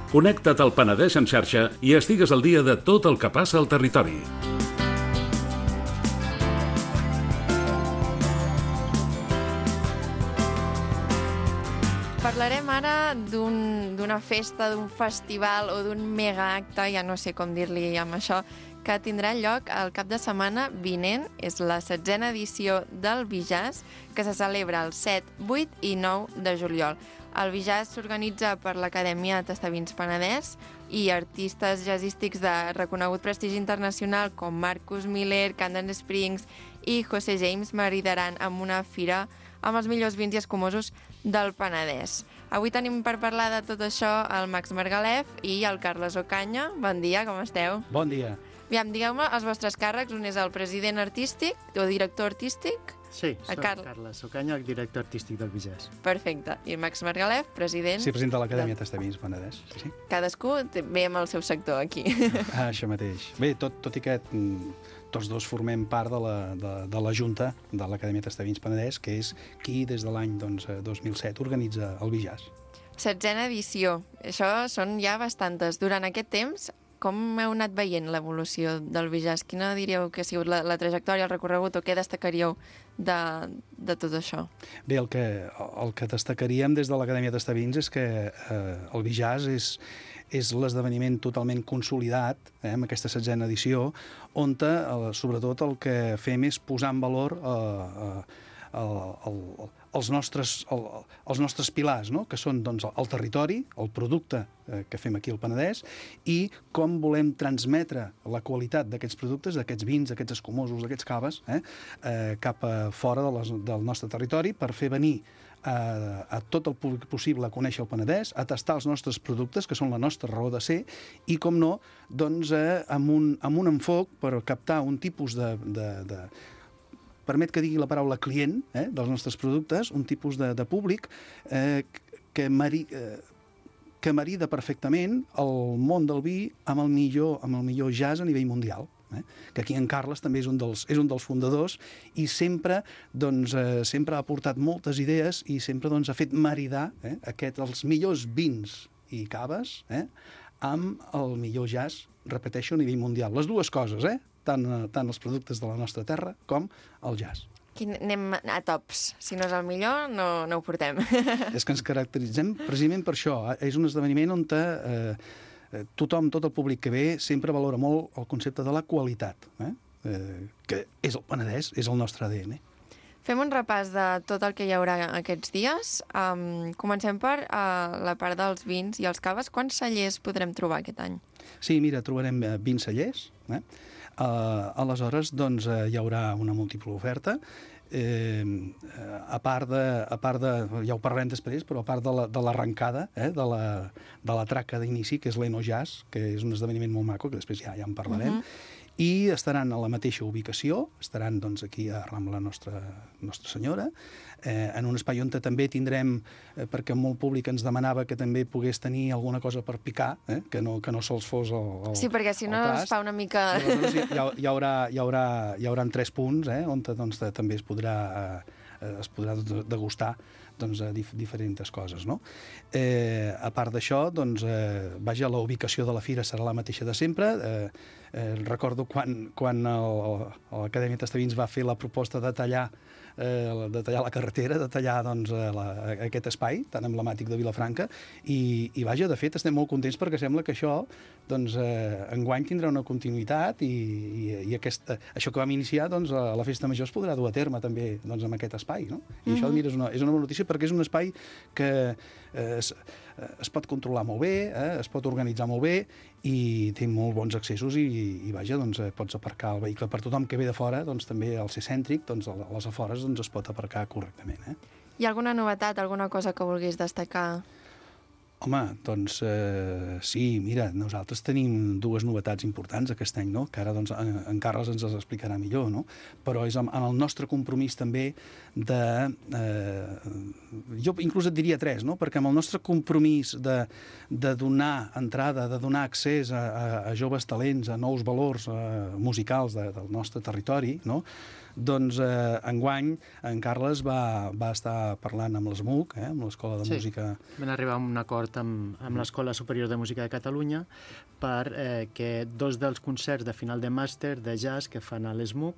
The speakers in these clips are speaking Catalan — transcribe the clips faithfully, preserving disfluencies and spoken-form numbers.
Connecta't al Penedès en xarxa i estigues al dia de tot el que passa al territori. Parlarem ara d'una festa, d'un festival o d'un megaacte, ja no sé com dir-li amb això, que tindrà lloc el cap de setmana vinent. És la setzena edició del Bijaz, que se celebra el set, vuit i nou de juliol. El Bijaz s'organitza per l'Acadèmia Tastavins Penedès i artistes jazzístics de reconegut prestigi internacional com Marcus Miller, Camden Springs i José James maridaran amb una fira amb els millors vins i escumosos del Penedès. Avui tenim per parlar de tot això el Max Margalef i el Carles Ocaña. Bon dia, com esteu? Bon dia. Aviam, digueu-me els vostres càrrecs. Un és el president artístic o director artístic? Sí, soc Car... Carles Ocaña, director artístic del Bijaz. Perfecte. I Max Margalef, president... Sí, president de l'Acadèmia de... Tastavins Penedès. Sí. Cadascú ve amb el seu sector aquí. Ah, això mateix. Bé, tot, tot i que mm, tots dos formem part de la, de, de la Junta de l'Acadèmia Tastavins Penedès, que és qui des de l'any doncs, dos mil set organitza el Bijaz. Setzena edició. Això són ja bastantes. Durant aquest temps, com heu anat veient l'evolució del Bijaz? Quina diríeu que ha sigut la, la trajectòria, el recorregut, o què destacaríeu de, de tot això? Bé, el que, el que destacaríem des de l'Acadèmia Tastavins és que eh, el Bijaz és, és l'esdeveniment totalment consolidat, eh, amb aquesta setzena edició, on eh, sobretot el que fem és posar en valor eh, eh, el, el, els, nostres, el, els nostres pilars, no? Que són doncs, el territori, el producte eh, que fem aquí al Penedès, i com volem transmetre la qualitat d'aquests productes, d'aquests vins, d'aquests escumosos, d'aquests caves, eh, eh, cap a fora de les, del nostre territori per fer venir a, a tot el públic possible a conèixer el Penedès, a tastar els nostres productes, que són la nostra raó de ser, i, com no, doncs, eh, amb, un, amb un enfoc per captar un tipus de... de, de permet que digui la paraula client, eh, dels nostres productes, un tipus de, de públic eh, que, mari, eh, que marida perfectament el món del vi amb el millor, amb el millor jazz a nivell mundial. Eh? Que aquí en Carles també és un dels, és un dels fundadors i sempre, doncs, eh, sempre ha aportat moltes idees i sempre doncs, ha fet maridar eh, aquest, els millors vins i caves eh, amb el millor jazz, repeteixo, a nivell mundial. Les dues coses, eh? Tant, tant els productes de la nostra terra com el jazz. Aquí anem a tops. Si no és el millor, no, no ho portem. És que ens caracteritzem precisament per això. És un esdeveniment on eh, tothom, tot el públic que ve, sempre valora molt el concepte de la qualitat, eh? Eh, que és el Penedès, és el nostre A D N. Fem un repàs de tot el que hi haurà aquests dies. Um, comencem per uh, la part dels vins i els caves. Quants cellers podrem trobar aquest any? Sí, mira, trobarem vint cellers. Eh? Uh, aleshores, doncs, uh, hi haurà una múltiple oferta. Eh, a part de, a part de, ja ho parlarem després, però a part de l'arrencada, la, de, eh, de, la, de la traca d'inici, que és l'Eno Jazz, que és un esdeveniment molt maco, que després ja, ja en parlarem, uh-huh. I estaran a la mateixa ubicació, estaran doncs, aquí a Rambla Nostra, Nostra Senyora, eh, en un espai on també tindrem, eh, perquè molt públic ens demanava que també pogués tenir alguna cosa per picar, eh, que, no, que no sols fos el, el Sí, perquè si no es fa una mica... Llavors, hi, hi, haurà, hi, haurà, hi haurà tres punts, eh, on doncs, també es podrà, eh, es podrà degustar doncs, dif diferents coses, no? Eh, a part d'això, doncs, eh, vaja, la ubicació de la fira serà la mateixa de sempre. Eh, eh, recordo quan, quan l'Acadèmia Tastavins va fer la proposta de tallar, eh, de tallar la carretera, de tallar doncs, la, aquest espai tan emblemàtic de Vilafranca, i, i vaja, de fet, estem molt contents perquè sembla que això, doncs, eh, enguany tindrà una continuïtat i, i, i aquest, eh, això que vam iniciar, doncs, a la Festa Major es podrà dur a terme també doncs, amb aquest espai, no? I mm-hmm. això, mira, és una, és una bona notícia perquè és un espai que eh, es, es pot controlar molt bé, eh, es pot organitzar molt bé i té molt bons accessos i, i vaja, doncs, pots aparcar el vehicle per tothom que ve de fora, doncs també al ser cèntric, doncs, a les afores doncs, es pot aparcar correctament. Eh? Hi ha alguna novetat, alguna cosa que vulguis destacar? Home, doncs eh, sí, mira, nosaltres tenim dues novetats importants aquest any, no? Que ara doncs, en, en Carles ens les explicarà millor, no? Però és en, en el nostre compromís també de... Eh, jo inclús et diria tres, no? Perquè amb el nostre compromís de, de donar entrada, de donar accés a, a, a joves talents, a nous valors eh, musicals de, del nostre territori, no? Doncs eh, enguany en Carles va, va estar parlant amb l'S M U C, eh, amb l'Escola de sí. Música... Vam arribar a un acord d'acord amb, amb l'Escola Superior de Música de Catalunya per eh, que dos dels concerts de final de màster de jazz que fan a l'ESMUC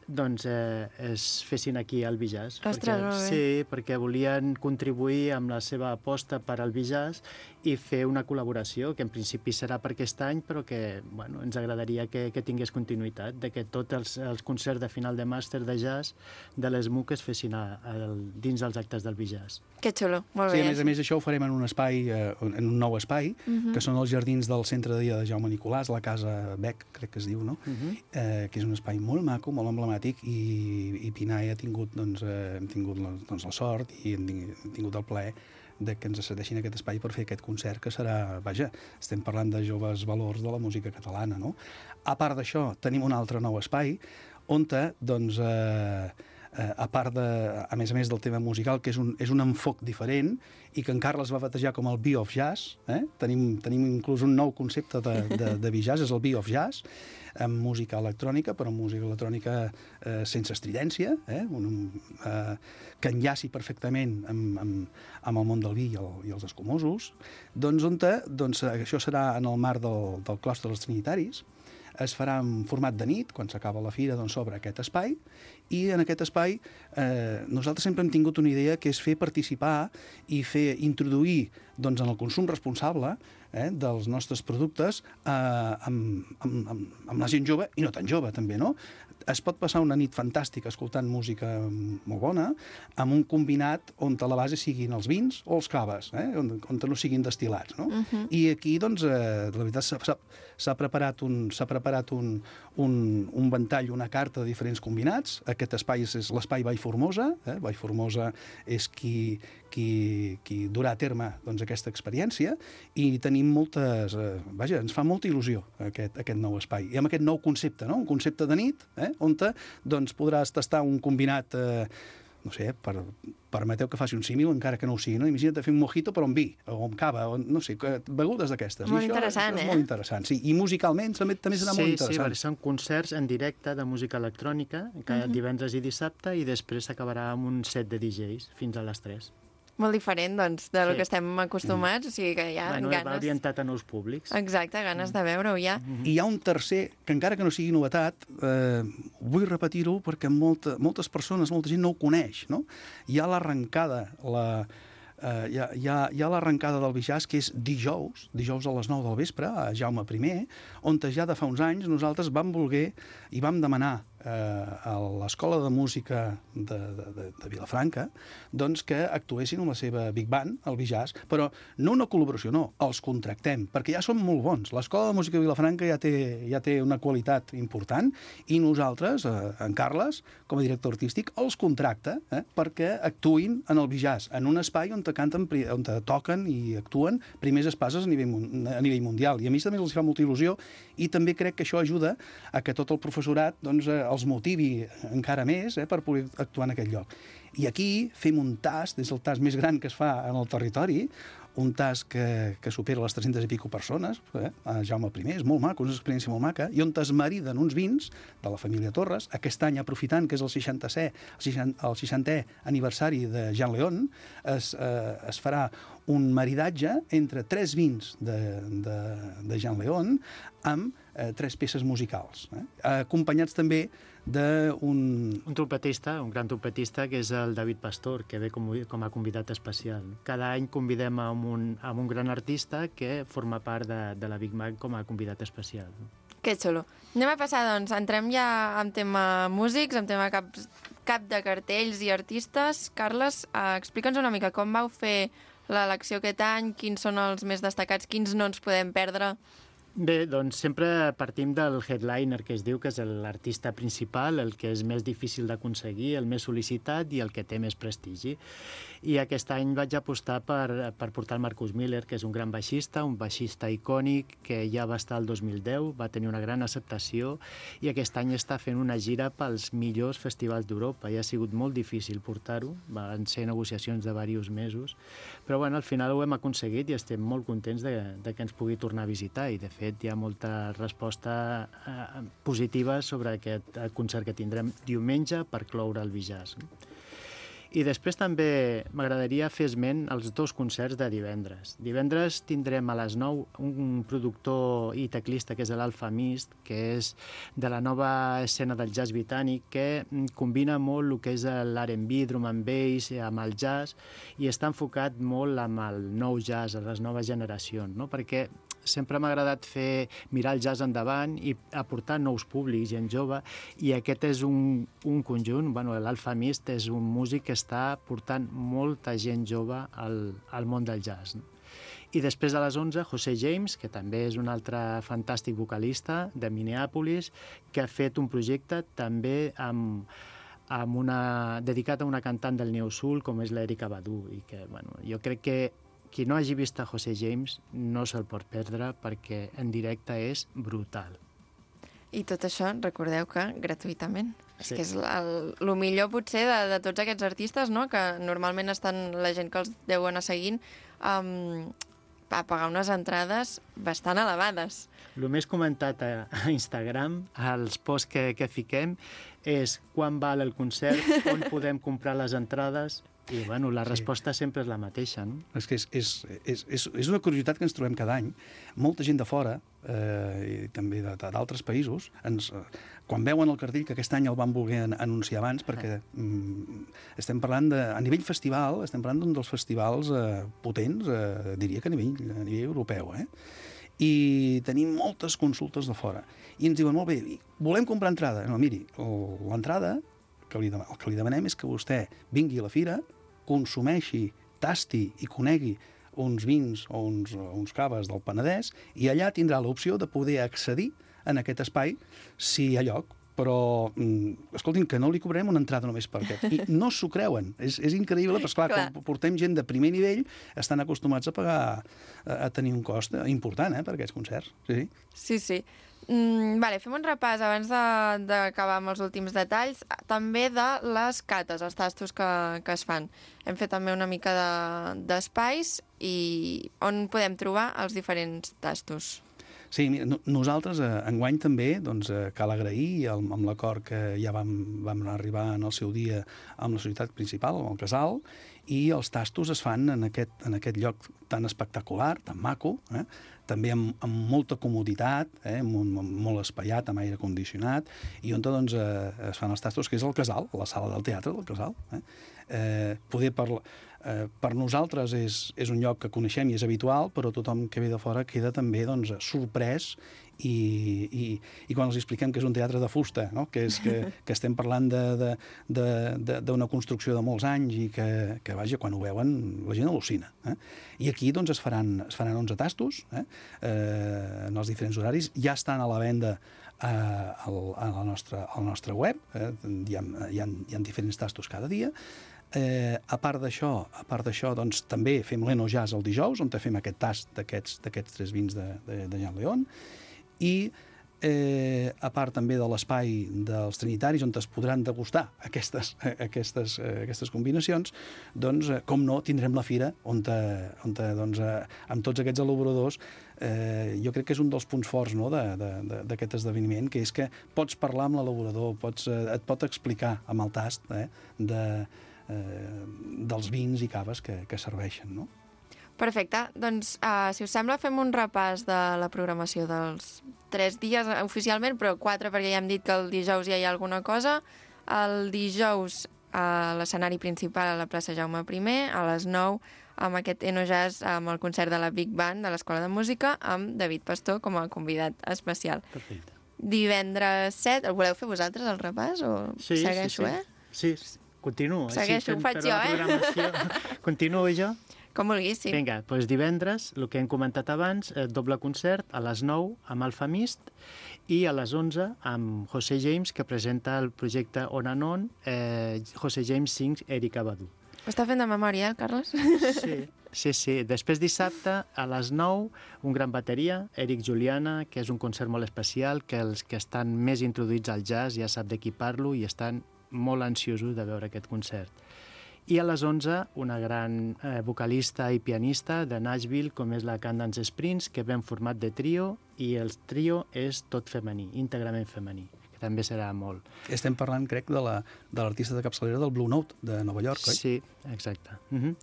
doncs eh, es fessin aquí al Bijazz. Ostres, molt bé. Sí, perquè volien contribuir amb la seva aposta per al Bijazz i fer una col·laboració que en principi serà per aquest any, però que bueno, ens agradaria que, que tingués continuïtat, de que tots els, els concerts de final de màster de jazz de l'ESMUC es fessin a, a, dins dels actes del Bijazz. Que xulo, molt Sí, bé. a més a més això ho farem en un espai, eh, en un nou espai, uh -huh. que són els jardins del centre de dia de Jaume Nicolàs, la Casa Bec, crec que es diu, no? Uh -huh. eh, que és un espai molt maco, molt emblemàtic, i, i Pinai ha tingut, doncs, eh, hem tingut la, doncs, la sort i hem tingut el plaer de que ens cedeixin aquest espai per fer aquest concert, que serà, vaja, estem parlant de joves valors de la música catalana, no? A part d'això, tenim un altre nou espai on, doncs, eh, eh, a part de, a més a més del tema musical, que és un, és un enfoc diferent i que en Carles va batejar com el Bee of Jazz, eh? tenim, tenim inclús un nou concepte de, de, de Bijazz, és el Bee of Jazz, amb música electrònica, però música electrònica eh, sense estridència, eh? un, eh, que enllaci perfectament amb, amb, amb el món del vi i, el, i els escumosos, doncs, on te, doncs això serà en el marc del, del Claustre dels Trinitaris, es farà en format de nit, quan s'acaba la fira, doncs s'obre aquest espai, i en aquest espai eh, nosaltres sempre hem tingut una idea que és fer participar i fer introduir doncs, en el consum responsable eh, dels nostres productes eh, amb, amb, amb, amb la gent jove i no tan jove també, no? Es pot passar una nit fantàstica escoltant música molt bona amb un combinat on a la base siguin els vins o els caves, eh? on, on no siguin destil·lats, no? Uh-huh. I aquí, doncs, eh, la veritat, s'ha preparat, un, s'ha preparat un, un, un ventall, una carta de diferents combinats. Aquest espai és, és l'espai Vall Formosa. Eh? Vall Formosa és qui, qui, qui durà a terme doncs, aquesta experiència i tenim moltes... Eh, vaja, ens fa molta il·lusió aquest, aquest nou espai. I amb aquest nou concepte, no? Un concepte de nit, eh? on te, doncs, podràs tastar un combinat, eh, no sé, per, permeteu que faci un símil, encara que no ho sigui, no? Imagina't fer un mojito però amb vi, o amb cava, o no sé, begudes d'aquestes. Molt I això interessant, és, és eh? molt interessant, sí. I musicalment també, també serà sí, molt interessant. Sí, són concerts en directe de música electrònica, cada uh-huh. divendres i dissabte, i després s'acabarà amb un set de D Js fins a les tres. Molt diferent, doncs, de lo Sí. que estem acostumats, o sigui que hi ha Bueno, ganes... va orientat a nous públics. Exacte, ganes de veure-ho ja. I hi ha un tercer, que encara que no sigui novetat, eh, vull repetir-ho perquè molta, moltes persones, molta gent no ho coneix, no? Hi ha l'arrencada, la, eh, hi ha, hi ha, hi ha l'arrencada del Bijazz, que és dijous, dijous a les nou del vespre, a Jaume I, on ja de fa uns anys nosaltres vam voler i vam demanar eh, a l'Escola de Música de, de, de, de Vilafranca doncs que actuessin amb la seva Big Band, el Bijazz, però no una col·laboració, no, els contractem, perquè ja són molt bons. L'Escola de Música de Vilafranca ja té, ja té una qualitat important i nosaltres, eh, en Carles, com a director artístic, els contracta eh, perquè actuïn en el Bijazz, en un espai on te canten, on te toquen i actuen primers espases a nivell, a nivell mundial. I a mi també els fa molta il·lusió i també crec que això ajuda a que tot el professorat doncs, eh, els motivi encara més eh, per poder actuar en aquest lloc. I aquí fem un tast, és el tast més gran que es fa en el territori, un tast que, que supera les tres-centes i pico persones, eh, a Jaume I, és molt maco, és una experiència molt maca, i on es mariden uns vins de la família Torres, aquest any aprofitant que és el seixantè, el seixantè aniversari de Jean León, es, eh, es farà un maridatge entre tres vins de, de, de Jean León amb eh, tres peces musicals, eh, acompanyats també d'un... Un trompetista, un gran trompetista, que és el David Pastor, que ve com, com a convidat especial. Cada any convidem a un, a un gran artista que forma part de, de la Big Band com a convidat especial. Que xulo. Anem a passar, doncs, entrem ja en tema músics, en tema cap, cap de cartells i artistes. Carles, eh, explica'ns una mica com vau fer l'elecció aquest any, quins són els més destacats, quins no ens podem perdre. Bé, doncs sempre partim del headliner, que es diu que és l'artista principal, el que és més difícil d'aconseguir, el més sol·licitat i el que té més prestigi. I aquest any vaig apostar per, per portar el Marcus Miller, que és un gran baixista, un baixista icònic, que ja va estar el dos mil deu, va tenir una gran acceptació i aquest any està fent una gira pels millors festivals d'Europa. I ha sigut molt difícil portar-ho, van ser negociacions de diversos mesos, però bueno, al final ho hem aconseguit i estem molt contents de, de que ens pugui tornar a visitar i de fet hi ha molta resposta eh, positiva sobre aquest concert que tindrem diumenge per cloure el Bijazz. I després també m'agradaria fer esment als dos concerts de divendres. Divendres tindrem a les nou un productor i teclista que és l'Alfa Mist, que és de la nova escena del jazz britànic, que combina molt el que és l'R and B, drum and bass, amb el jazz, i està enfocat molt amb el nou jazz, a les noves generacions, no? Perquè sempre m'ha agradat fer, mirar el jazz endavant i aportar nous públics, gent jove, i aquest és un, un conjunt, bueno, l'Alfa Mist és un músic que està portant molta gent jove al, al món del jazz, no? I després a les onze, José James, que també és un altre fantàstic vocalista de Minneapolis, que ha fet un projecte també amb, amb una, dedicat a una cantant del Neo Soul, com és l'Erika Badu, i que, bueno, jo crec que qui no hagi vist a José James no se'l pot perdre perquè en directe és brutal. I tot això, recordeu que gratuïtament. Sí. És que és el, el millor potser de, de tots aquests artistes, no? Que normalment estan la gent que els deu anar seguint um, a pagar unes entrades bastant elevades. El més comentat a, a Instagram, als posts que, que fiquem, és quan val el concert, on podem comprar les entrades. I, bueno, la resposta sí. sempre és la mateixa, no? És que és, és, és, és, és una curiositat que ens trobem cada any. Molta gent de fora, eh, i també d'altres països, ens, eh, quan veuen el cartell, que aquest any el van voler anunciar abans, perquè mm, estem parlant de... A nivell festival, estem parlant d'un dels festivals eh, potents, eh, diria que a nivell, a nivell europeu, eh? I tenim moltes consultes de fora. I ens diuen, molt bé, volem comprar entrada. No, miri, l'entrada... Que li, el que li demanem és que vostè vingui a la fira, consumeixi, tasti i conegui uns vins o uns, uns caves del Penedès i allà tindrà l'opció de poder accedir en aquest espai si hi ha lloc. Però, escoltin, que no li cobrem una entrada només per aquest. I no s'ho creuen. És, és increïble, però esclar, clar. Quan portem gent de primer nivell, estan acostumats a pagar, a, a tenir un cost important, eh, per aquests concerts. Sí, sí. Sí, sí. Mm, vale, fem un repàs abans d'acabar amb els últims detalls, també de les cates, els tastos que, que es fan. Hem fet també una mica d'espais de, i on podem trobar els diferents tastos. Sí, mira, nosaltres eh, enguany també doncs, eh, cal agrair amb, amb l'acord que ja vam, vam arribar en el seu dia amb la societat principal, amb el casal, i els tastos es fan en aquest, en aquest lloc tan espectacular, tan maco, eh? També amb, amb molta comoditat, eh? molt, molt espaiat, amb aire condicionat, i on doncs, eh, es fan els tastos, que és el casal, la sala del teatre del casal. Eh? Eh, poder per, eh, per nosaltres és, és un lloc que coneixem i és habitual, però tothom que ve de fora queda també doncs, sorprès i, i, i quan els expliquem que és un teatre de fusta, no? que, és, que, que estem parlant d'una construcció de molts anys i que, que vaja, quan ho veuen la gent al·lucina. Eh? I aquí doncs, es, faran, es faran onze tastos eh? Eh, en els diferents horaris, ja estan a la venda a, a, la nostra, al nostre web, eh? hi, ha, hi, ha, hi ha diferents tastos cada dia. Eh, a part d'això, a part d'això, doncs, també fem l'Eno Jazz el dijous, on fem aquest tast d'aquests tres vins de, de, de Jean León, i eh, a part també de l'espai dels trinitaris, on es podran degustar aquestes, aquestes, aquestes combinacions, doncs, com no, tindrem la fira, on, on doncs, amb tots aquests elaboradors, eh, jo crec que és un dels punts forts no, d'aquest esdeveniment, que és que pots parlar amb l'elaborador, pots, et pot explicar amb el tast eh, de Eh, dels vins i caves que, que serveixen, no? Perfecte. Doncs, uh, si us sembla, fem un repàs de la programació dels tres dies oficialment, però quatre perquè ja hem dit que el dijous ja hi ha alguna cosa. El dijous a l'escenari principal a la plaça Jaume primer, a les nou, amb aquest Eno Jazz, amb el concert de la Big Band de l'Escola de Música, amb David Pastor com a convidat especial. Perfecte. Divendres set, el voleu fer vosaltres, el repàs? O sí, segueixo, sí, sí. eh? Sí, continuo. Segueixo, ho faig jo, eh? Continuo jo? Com vulguis, sí. Vinga, doncs divendres, el que hem comentat abans, eh, doble concert a les nou amb Alfa Mist i a les onze amb José James, que presenta el projecte On and On, eh, José James Sings Erika Badu. Ho està fent de memòria, eh, Carles? Sí, sí, sí. Després dissabte, a les nou, un gran bateria, Eric Juliana, que és un concert molt especial, que els que estan més introduïts al jazz ja sap de qui parlo i estan molt ansiosos de veure aquest concert. I a les onze, una gran eh, vocalista i pianista de Nashville, com és la Candance Springs, que ve en format de trio, i el trio és tot femení, íntegrament femení. també serà molt. Estem parlant, crec, de la- de l'artista de capçalera del Blue Note de Nova York, oi? Sí, exacte. Uh -huh.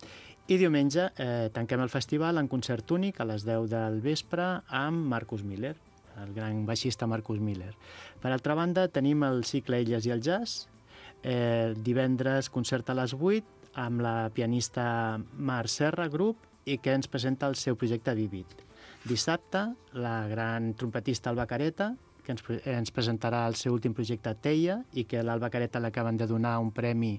I diumenge eh, tanquem el festival en concert únic a les deu del vespre amb Marcus Miller, el gran baixista Marcus Miller. Per altra banda, tenim el cicle Elles i el Jazz, eh, divendres concert a les vuit amb la pianista Mar Serra Group i que ens presenta el seu projecte Vivid. Dissabte, la gran trompetista Alba Careta, que ens, pre- ens presentarà el seu últim projecte Teia i que a l'Alba Careta l'acaben de donar un premi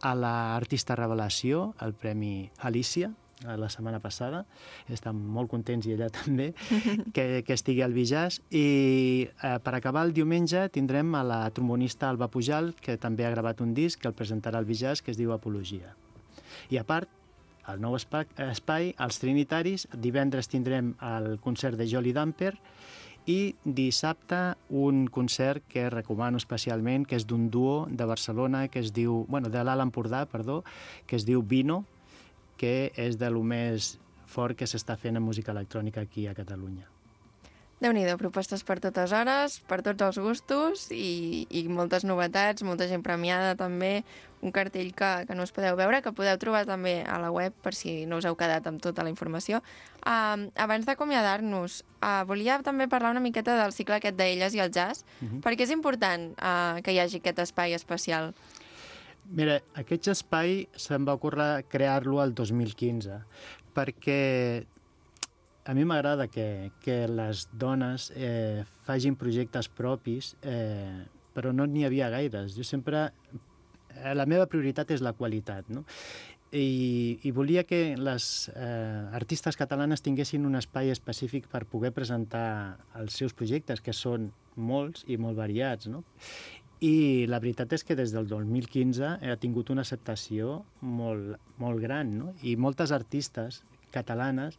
a l'artista revelació, el Premi Alicia, la setmana passada. Estan molt contents, i ella també, que, que estigui al Bijàs. I eh, per acabar el diumenge tindrem a la trombonista Alba Pujal, que també ha gravat un disc que el presentarà al Bijàs, que es diu Apologia. I a part, al nou espai, espai, als Trinitaris, divendres tindrem el concert de Jolly Damper i dissabte un concert que recomano especialment, que és d'un duo de Barcelona, que es diu, bueno, de l'Alt Empordà, perdó, que es diu Vino, que és de lo més fort que s'està fent en música electrònica aquí a Catalunya. Déu-n'hi-do, propostes per totes hores, per tots els gustos i, i moltes novetats, molta gent premiada també, un cartell que, que no us podeu veure, que podeu trobar també a la web per si no us heu quedat amb tota la informació. Uh, abans d'acomiadar-nos, uh, volia també parlar una miqueta del cicle aquest d'Elles i el Jazz, uh-huh. perquè és important uh, que hi hagi aquest espai especial. Mira, aquest espai se'm va ocórrer crear-lo el dos mil quinze, perquè a mi m'agrada que, que les dones eh, facin projectes propis, eh, però no n'hi havia gaires. Jo sempre... Eh, la meva prioritat és la qualitat, no? I, i volia que les eh, artistes catalanes tinguessin un espai específic per poder presentar els seus projectes, que són molts i molt variats, no? I la veritat és que des del dos mil quinze ha tingut una acceptació molt, molt gran, no? I moltes artistes catalanes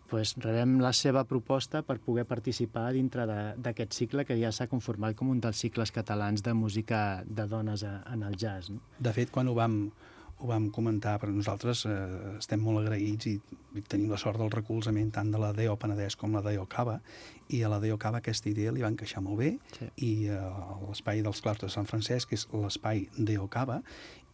pues, rebem la seva proposta per poder participar dintre d'aquest cicle que ja s'ha conformat com un dels cicles catalans de música de dones a, en el jazz. No? De fet, quan ho vam, ho vam comentar, per nosaltres eh, estem molt agraïts i, i tenim la sort del recolzament tant de la D E O Penedès com la D E O Cava, i a la D E O Cava aquesta idea li va encaixar molt bé, sí. I eh, l'espai dels claustres de Sant Francesc és l'espai D E O Cava,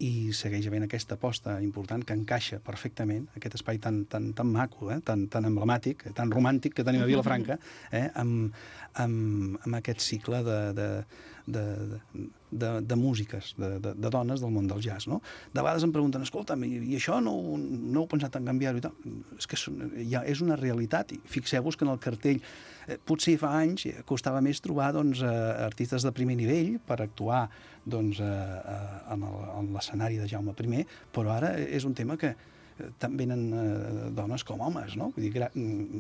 i segueix havent aquesta aposta important que encaixa perfectament aquest espai tan, tan, tan maco, eh? tan, tan emblemàtic, tan romàntic que tenim a Vilafranca, eh? amb, amb, amb aquest cicle de, de, de, de, de músiques, de, de, de dones del món del jazz. No? De vegades em pregunten, escolta'm, i, i això no, no heu pensat en canviar-ho? I tal? És que és, ja és una realitat, i fixeu-vos que en el cartell eh, potser fa anys costava més trobar doncs, eh, artistes de primer nivell per actuar doncs, eh, eh, en el, en l'escenari de Jaume I, però ara és un tema que tant venen eh, dones com homes, no? Vull dir, gra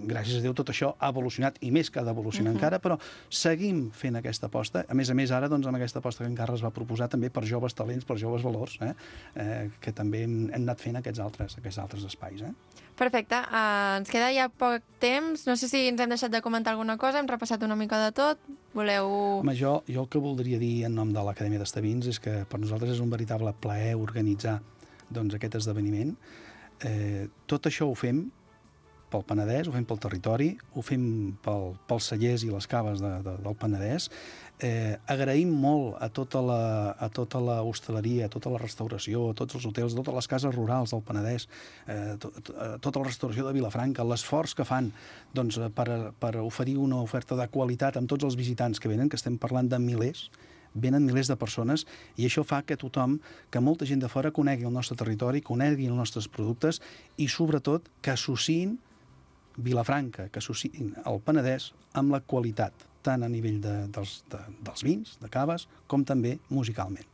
gràcies a Déu tot això ha evolucionat, i més que ha d'evolucionar uh-huh. encara, però seguim fent aquesta aposta. A més a més, ara, doncs, amb aquesta aposta que encara es va proposar també per joves talents, per joves valors, eh? Eh, que també hem, hem anat fent aquests altres, aquests altres espais. Eh? Perfecte. Uh, ens queda ja poc temps. No sé si ens hem deixat de comentar alguna cosa, hem repassat una mica de tot. Voleu... Home, jo, jo el que voldria dir en nom de l'Acadèmia d'Estavins és que per nosaltres és un veritable plaer organitzar doncs, aquest esdeveniment. Eh, tot això ho fem pel Penedès, ho fem pel territori, ho fem pel, pels cellers i les caves de, de, del Penedès. Eh, agraïm molt a tota la, a tota la hostaleria, a tota la restauració, a tots els hotels, a totes les cases rurals del Penedès, eh, to, to, a tota la restauració de Vilafranca, l'esforç que fan doncs, per, per oferir una oferta de qualitat amb tots els visitants que venen, que estem parlant de milers, venen milers de persones, i això fa que tothom, que molta gent de fora conegui el nostre territori, conegui els nostres productes i, sobretot, que associïn Vilafranca, que associïn el Penedès amb la qualitat, tant a nivell de, dels, de, dels vins, de caves, com també musicalment.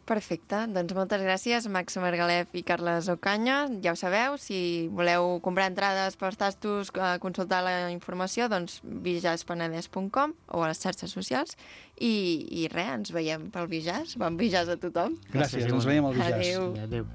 Perfecte. Doncs moltes gràcies, Max Margalef i Carles Ocaña. Ja ho sabeu, si voleu comprar entrades pels tastos, consultar la informació, doncs bijaz penedès punt com o a les xarxes socials. I, i res, ens veiem pel Bijaz. Bon Bijaz a tothom. Gràcies, Gràcies ens veiem al Bijaz. Adéu. Adéu.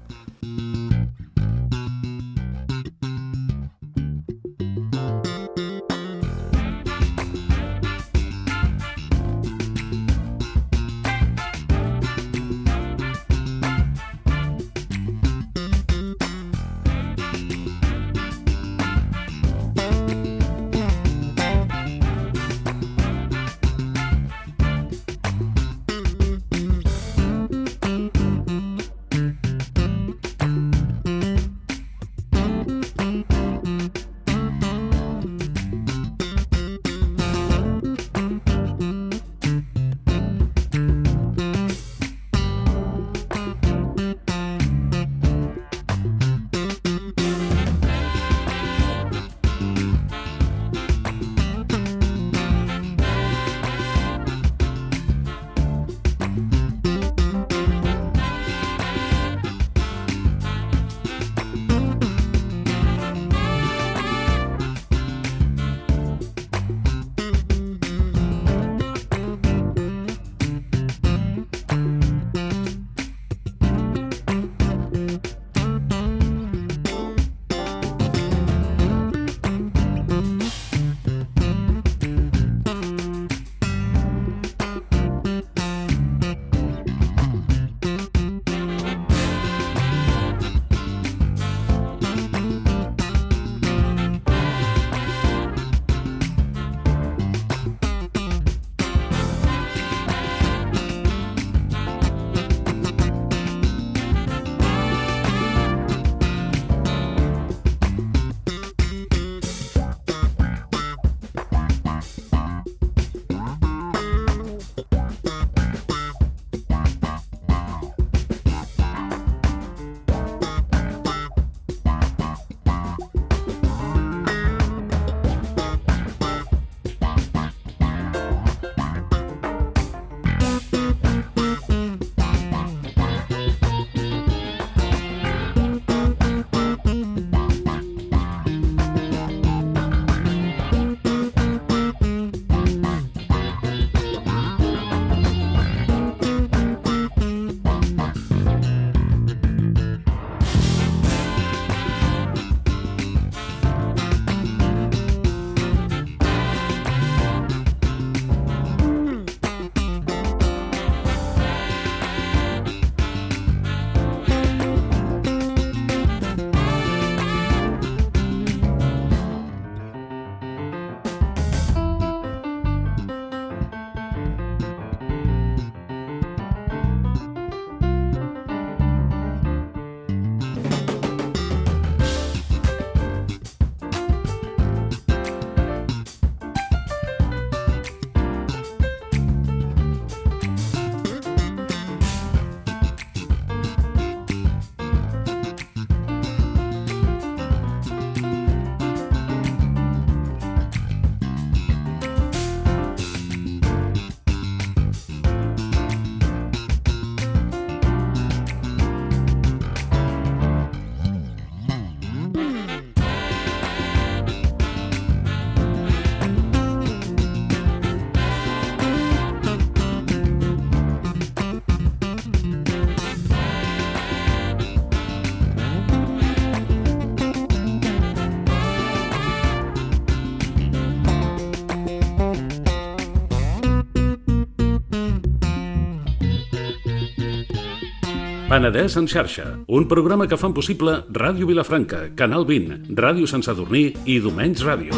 Penedès en xarxa, un programa que fan possible Ràdio Vilafranca, Canal vint, Ràdio Sant Sadurní i Domenys Ràdio.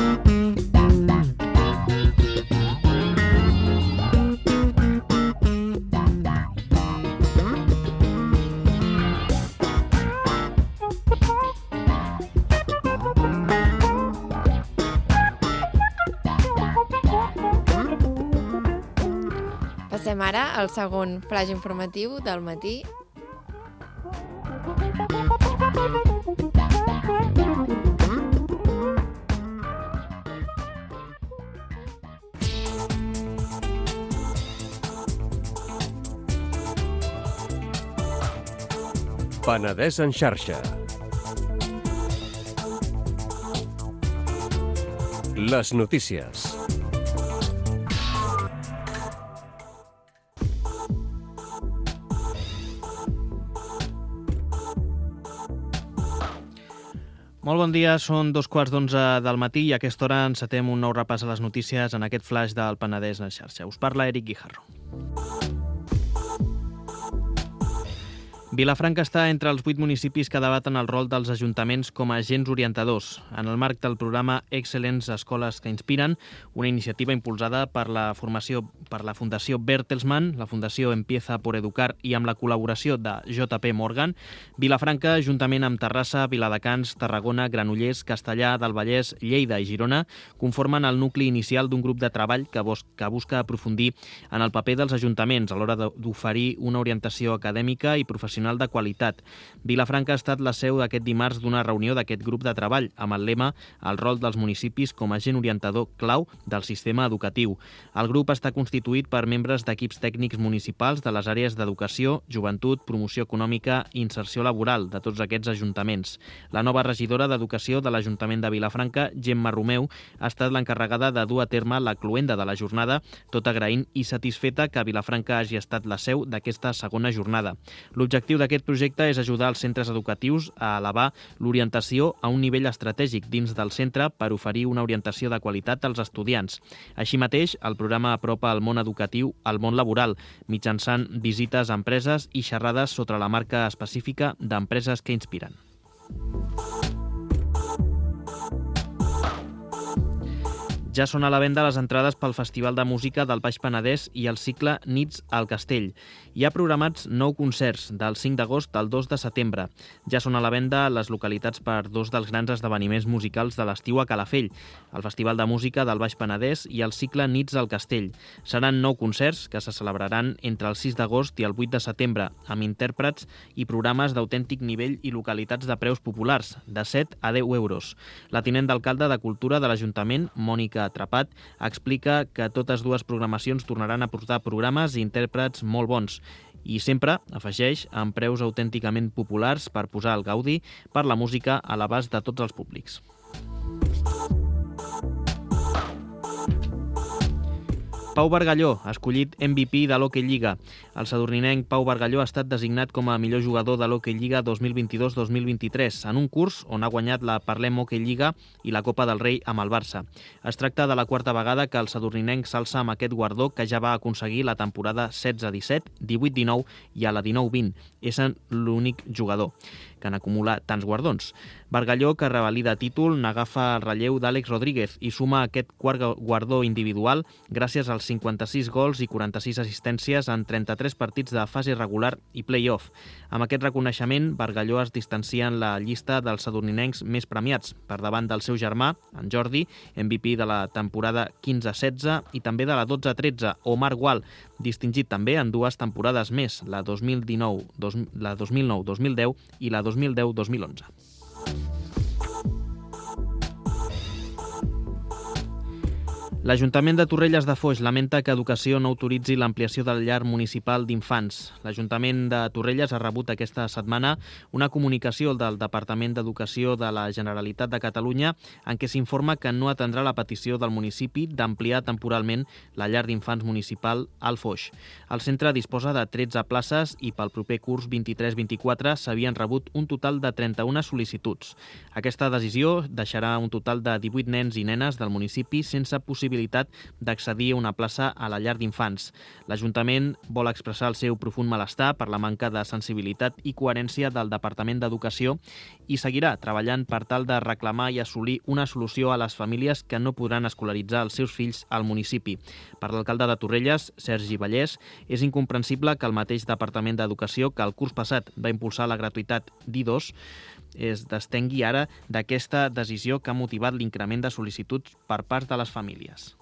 Passem ara al segon flaix informatiu del matí. Penedès en xarxa. Les notícies. Molt bon dia, són dos quarts d'onze del matí i a aquesta hora encetem un nou repàs a les notícies en aquest flaix del Penedès en xarxa. Us parla Eric Guijarro. Vilafranca està entre els vuit municipis que debaten el rol dels ajuntaments com a agents orientadors, en el marc del programa Excel·lents Escoles que Inspiren, una iniciativa impulsada per la formació per la Fundació Bertelsmann, la Fundació Empieza por Educar i amb la col·laboració de J P Morgan. Vilafranca, juntament amb Terrassa, Viladecans, Tarragona, Granollers, Castellà del Vallès, Lleida i Girona, conformen el nucli inicial d'un grup de treball que, que busca aprofundir en el paper dels ajuntaments a l'hora d'oferir una orientació acadèmica i professional de qualitat. Vilafranca ha estat la seu d'aquest dimarts d'una reunió d'aquest grup de treball amb el lema "El rol dels municipis com a agent orientador clau del sistema educatiu". El grup està constituït per membres d'equips tècnics municipals de les àrees d'educació, joventut, promoció econòmica i inserció laboral de tots aquests ajuntaments. La nova regidora d'Educació de l'Ajuntament de Vilafranca, Gemma Romeu, ha estat l'encarregada de dur a terme la cloenda de la jornada, tot agraint i satisfeta que Vilafranca hagi estat la seu d'aquesta segona jornada. L'objectiu d'aquest projecte és ajudar els centres educatius a elevar l'orientació a un nivell estratègic dins del centre per oferir una orientació de qualitat als estudiants. Així mateix, el programa apropa el món educatiu al món laboral, mitjançant visites a empreses i xerrades sobre la marca específica d'empreses que inspiren. Ja són a la venda les entrades pel Festival de Música del Baix Penedès i el cicle Nits al Castell. Hi ha programats nou concerts, del cinc d'agost al dos de setembre. Ja són a la venda les localitats per dos dels grans esdeveniments musicals de l'estiu a Calafell, el Festival de Música del Baix Penedès i el cicle Nits al Castell. Seran nou concerts que se celebraran entre el sis d'agost i el vuit de setembre, amb intèrprets i programes d'autèntic nivell i localitats de preus populars, de set a deu euros. La tinent d'alcalde de Cultura de l'Ajuntament, Mònica Atrapat, explica que totes dues programacions tornaran a portar programes i intèrprets molt bons i sempre, afegeix, amb preus autènticament populars per posar el gaudi per la música a l'abast de tots els públics. Pau Bargalló, escollit M V P de l'Hockey Lliga. El sadurninenc Pau Bargalló ha estat designat com a millor jugador de l'Hockey Lliga dos mil vint-i-dos dos mil vint-i-tres en un curs on ha guanyat la Parlem Hockey Lliga i la Copa del Rei amb el Barça. Es tracta de la quarta vegada que el sadurninenc s'alça amb aquest guardó que ja va aconseguir la temporada setze disset, divuit dinou i a la dinou vint. És l'únic jugador que n'acumula tants guardons. Bargalló, que revalida títol, n'agafa el relleu d'Àlex Rodríguez i suma aquest quart guardó individual gràcies als cinquanta-sis gols i quaranta-sis assistències en trenta-tres partits de fase regular i play-off. Amb aquest reconeixement, Bargalló es distancia en la llista dels sadurninencs més premiats, per davant del seu germà, en Jordi, M V P de la temporada quinze setze i també de la dotze tretze, Omar Gual, distingit també en dues temporades més, la dos mil dinou dos mil nou dos mil deu i la dos mil deu dos mil onze. L'Ajuntament de Torrelles de Foix lamenta que Educació no autoritzi l'ampliació del llar municipal d'infants. L'Ajuntament de Torrelles ha rebut aquesta setmana una comunicació del Departament d'Educació de la Generalitat de Catalunya en què s'informa que no atendrà la petició del municipi d'ampliar temporalment la llar d'infants municipal al Foix. El centre disposa de tretze places i pel proper curs vint-i-tres vint-i-quatre s'havien rebut un total de trenta-una sol·licituds. Aquesta decisió deixarà un total de divuit nens i nenes del municipi sense possibilitat possibilitat d'accedir a una plaça a la llar d'infants. L'Ajuntament vol expressar el seu profund malestar per la manca de sensibilitat i coherència del Departament d'Educació i seguirà treballant per tal de reclamar i assolir una solució a les famílies que no podran escolaritzar els seus fills al municipi. Per l'alcalde de Torrelles, Sergi Vallès, és incomprensible que el mateix Departament d'Educació, que el curs passat va impulsar la gratuïtat d'I dos, es destengui ara d'aquesta decisió que ha motivat l'increment de sol·licituds per part de les famílies.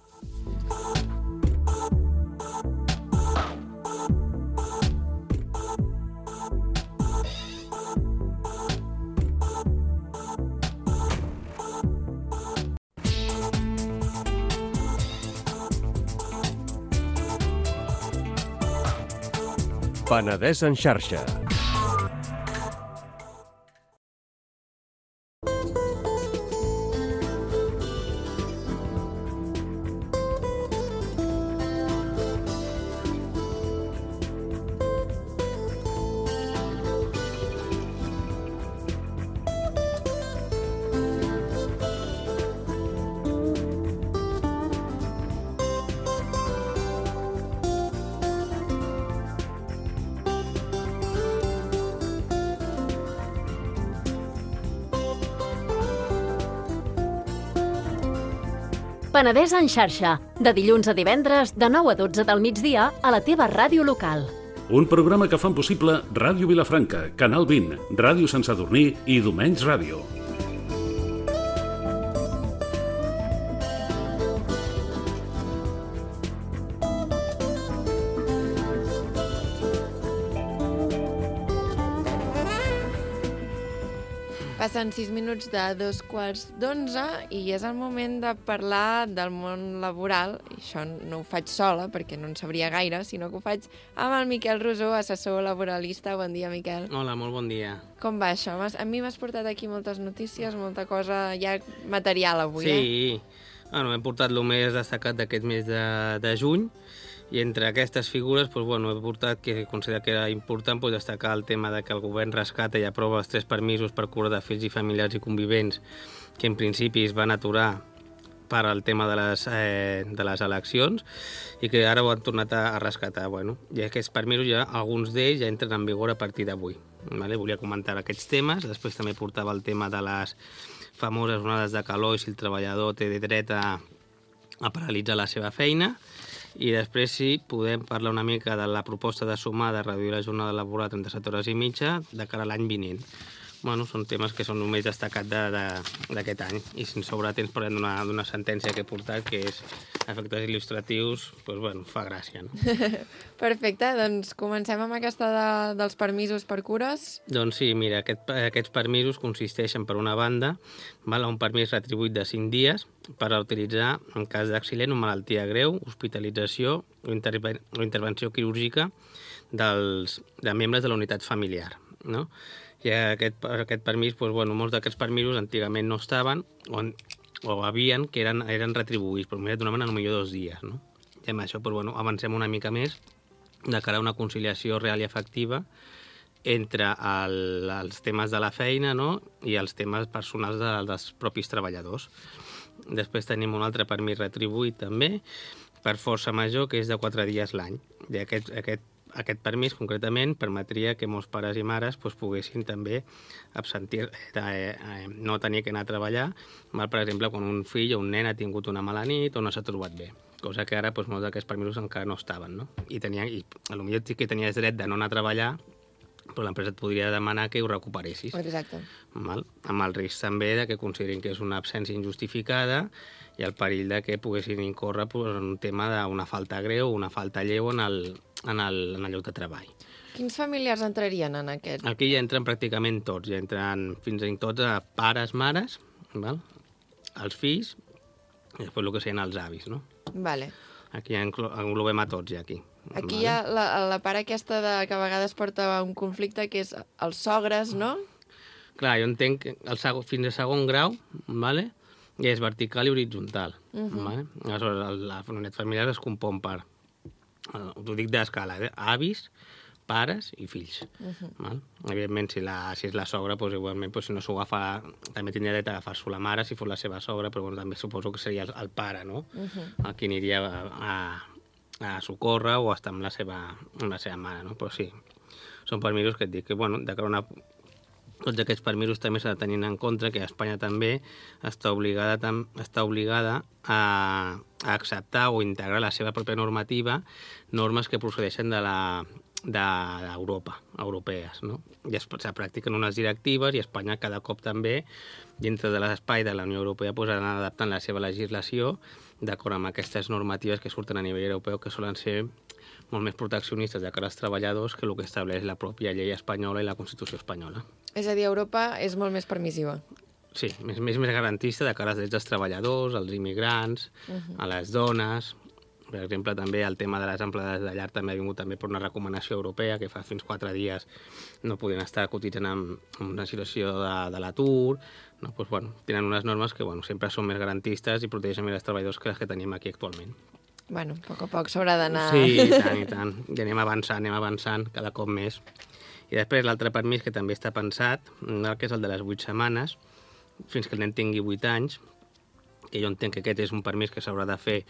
Penedès en xarxa. Penedès en xarxa, de dilluns a divendres, de nou a dotze del migdia, a la teva ràdio local. Un programa que fan possible Ràdio Vilafranca, Canal vint, Ràdio Sant Sadurní i Domenys Ràdio. Passen sis minuts de dos quarts d'onze i és el moment de parlar del món laboral. I això no ho faig sola, perquè no en sabria gaire, sinó que ho faig amb el Miquel Rosó, assessor laboralista. Bon dia, Miquel. Hola, molt bon dia. Com va això? A mi m'has portat aquí moltes notícies, molta cosa, ja material avui, sí. eh? Sí, bueno, hem portat el més destacat d'aquest mes de, de juny, i entre aquestes figures doncs, bueno, he portat que considero que era important doncs, destacar el tema de que el govern rescata i aprova els tres permisos per cura de fills i familiars i convivents que en principi es van aturar per al tema de les, eh, de les eleccions i que ara ho han tornat a, a rescatar. Bueno, i aquests permisos, ja, alguns d'ells ja entren en vigor a partir d'avui. Vale? Volia comentar aquests temes, després també portava el tema de les famoses onades de calor i si el treballador té dret a, a paralitzar la seva feina. I després sí, podem parlar una mica de la proposta de sumar de reduir la jornada laboral a trenta-set hores i mitja de cara a l'any vinent. Bueno, són temes que són el més destacat d'aquest de, any. I si ens sobra temps parlem d'una sentència que he portat, que és efectes il·lustratius, doncs bueno, fa gràcia, no? Perfecte, doncs comencem amb aquesta de, dels permisos per cures. Doncs sí, mira, aquest, aquests permisos consisteixen, per una banda, val, un permís retribuït de cinc dies per utilitzar en cas d'accident o malaltia greu, hospitalització o, interven o intervenció quirúrgica dels, de membres de la unitat familiar, no? I aquest, aquest permís, doncs, bueno, molts d'aquests permisos antigament no estaven o, o havien que eren, eren retribuïts, però mira, donaven potser dos dies, no? I amb això doncs, bueno, avancem una mica més de cara a una conciliació real i efectiva entre el, els temes de la feina, no? I els temes personals de, dels propis treballadors. Després tenim un altre permís retribuït també per força major, que és de quatre dies l'any. I aquest, aquest Aquest permís, concretament, permetria que molts pares i mares doncs, poguessin també absentir, eh, eh, no tenir que anar a treballar, mal, per exemple, quan un fill o un nen ha tingut una mala nit o no s'ha trobat bé, cosa que ara doncs, molts d'aquests permisos encara no estaven, no? I, tenia, i potser sí que tenies dret de no anar a treballar, però l'empresa et podria demanar que ho recuperessis. Exacte. Mal? Amb el risc també de que considerin que és una absència injustificada i el perill de que poguessin incórrer en un tema d'una falta greu o una falta lleu en el, en el, en el lloc de treball. Quins familiars entrarien en aquest? Aquí ja entren pràcticament tots, ja entren fins i tot a pares, mares, val? Els fills i després el que serien els avis, no? Vale. Aquí ja englobem a tots, ja aquí. Aquí vale? hi ha la, la part aquesta de, que a vegades porta un conflicte, que és els sogres, no? Clar, jo entenc que el segon, fins a segon grau, vale? Ja és vertical i horitzontal. Uh -huh. Vale? Aleshores, la unitat familiar es compon per, ho dic d'escala, eh? avis, pares i fills. Uh-huh. Val? Evidentment, si, la, si és la sogra, doncs, igualment, doncs, si no s'ho agafa, també tindria dret a agafar-s'ho la mare si fos la seva sogra, però bueno, també suposo que seria el, el pare, no? Uh-huh. El que aniria a, a, a socórrer o a estar amb la seva, amb la seva mare, no? Però sí, són permisos que et dic que, bueno, de cara a una... Tots aquests permisos també s'ha de tenir en compte que Espanya també està obligada, tam, està obligada a, a acceptar o integrar la seva pròpia normativa normes que procedeixen de la d'Europa, europees, no? I es, es practiquen unes directives i Espanya cada cop també, dintre de l'espai de la Unió Europea, pues, anar adaptant la seva legislació d'acord amb aquestes normatives que surten a nivell europeu, que solen ser molt més proteccionistes de cara als treballadors que el que estableix la pròpia llei espanyola i la Constitució espanyola. És a dir, Europa és molt més permissiva. Sí, més, més, més garantista de cara als drets dels treballadors, als immigrants, uh-huh. a les dones. Per exemple, també el tema de les empleades de llar també ha vingut també per una recomanació europea que fa fins quatre dies no podien estar cotitzant en, en una situació de, de l'atur. No? Pues, bueno, tenen unes normes que bueno, sempre són més garantistes i protegeixen més els treballadors que les que tenim aquí actualment. Bueno, a poc a poc s'haurà d'anar... Sí, i tant, i tant. I anem avançant, anem avançant cada cop més. I després l'altre permís que també està pensat, que és el de les vuit setmanes, fins que el nen tingui vuit anys, que jo entenc que aquest és un permís que s'haurà de fer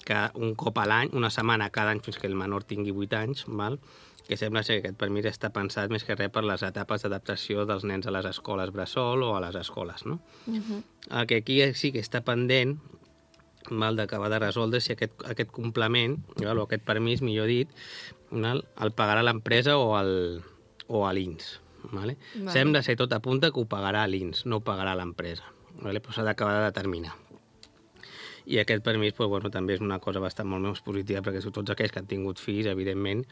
que un cop a l'any, una setmana cada any fins que el menor tingui vuit anys, val? Que sembla ser que aquest permís està pensat més que res per les etapes d'adaptació dels nens a les escoles bressol o a les escoles, no? Uh-huh. El que aquí sí que està pendent val, d'acabar de resoldre si aquest, aquest complement, val, o aquest permís, millor dit, val, el pagarà l'empresa o el, o a l'I N S. Vale? Vale. Sembla ser tot apunta que ho pagarà l'I N S, no ho pagarà l'empresa. Vale? Però s'ha d'acabar de determinar. I aquest permís pues, bueno, també és una cosa bastant molt més positiva, perquè tots aquells que han tingut fills, evidentment,